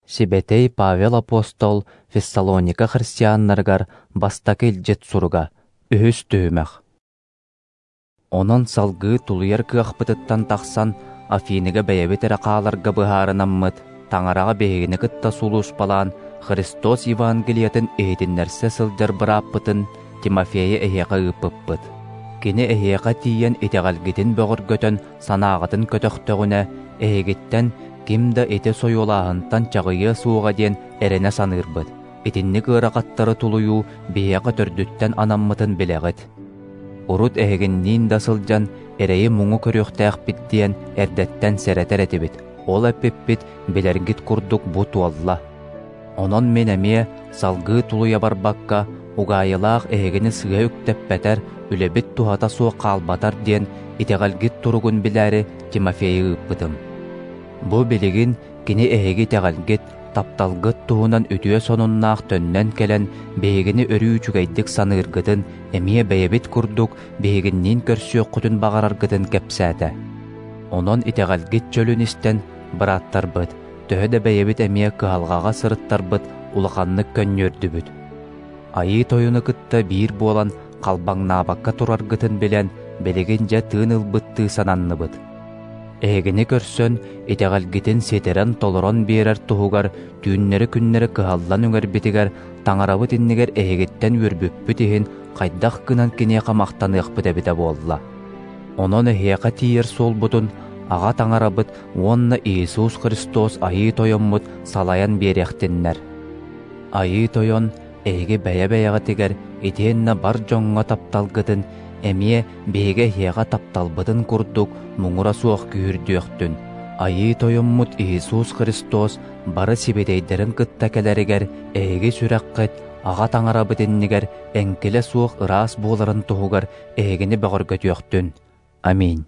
Сибэтэй Павел апостол Фессалоника христианнарыгар бастакы илдьит суруга, үһүс түһүмэх. Онон салгыы тулуйар кыахпытыттан тахсан, Афиныга бэйэбит эрэ хааларга быһаарынаммыт, Таҥараҕа биһигини кытта сулууспалаан Христос Евангелиетын иһитиннэрсэ сылдьар бырааппытын Тимофейы эһиэхэ ыыппыппыт. Кини эһиэхэ тиийэн итэҕэлгитин бөҕөргөтөн санааҕытын көтөхтөҕүнэ, эһигиттэн ким да ити сойуолааһынтан чаҕыйыа суоҕа диэн эрэнэ саныырбыт. Итинник ыарахаттары тулуйуу биһиэхэ төрдүттэн анаммытын билэҕит. Урут эһигинниин да сылдьан эрэйи-муҥу көрүөхтээхпит диэн эрдэттэн сэрэтэр этибит. Ол эппиппит билэргит курдук бу туолла. Онон мин эмиэ салгыы тулуйа барбакка, угаайылаах эһигини сыыһа үктэппэтэр, үлэбит туһата суох хаалбатар диэн итэҕэлгит туругун билээри Тимофейы ыыппытым. Бу билигин кини эһиги итэҕэлгит, тапталгыт туһунан үтүө сонуннаах төннөн кэлэн, биһигини өрүү үчүгэйдик саныыргытын, эмиэ бэйэбит курдук биһигинниин көрсүөххүтүн баҕараргытын кэпсээтэ. Онон итэҕэлгит чөлүн истэн, бырааттарбыт, төһө да бэйэбит эмиэ кыһалҕаҕа сырыттарбыт улаханнык көнньүөрдүбүт. Айыы Тойону кытта биир буолан халбаҥнаабакка тураргытын билэн, билигин дьэ тыын ылбыттыы сананныбыт. Эһигини көрсөн, итэҕэлгитин ситэрэн-толорон биэрэр туһугар түүннэри-күннэри кыһаллан үҥэрбитигэр Таҥарабыт иннигэр эһигиттэн үөрбүппүт иһин хайдах гынан киниэхэ махтаныахпыт эбитэ буолла. Онон эһиэхэ тиийэр суолбутун Аҕа Таҥарабыт уонна Иисус Христос Айыы Тойоммут салайан биэриэхтиннэр. Айыы Тойон эһиги бэйэ-бэйэҕитигэр итиэннэ бар дьоҥҥо тапталгытын эмиэ биһиги эһиэхэ тапталбытын курдук муҥура суох күүһүрдүөхтүн. Айыы Тойоммут Иисус Христос бары сибитэйдэрин кытта кэлэригэр эһиги сүрэххит Аҕа Таҥарабыт иннигэр эҥкилэ суох ыраас буоларын туһугар эһигини бөҕөргөтүөхтүн. Аминь.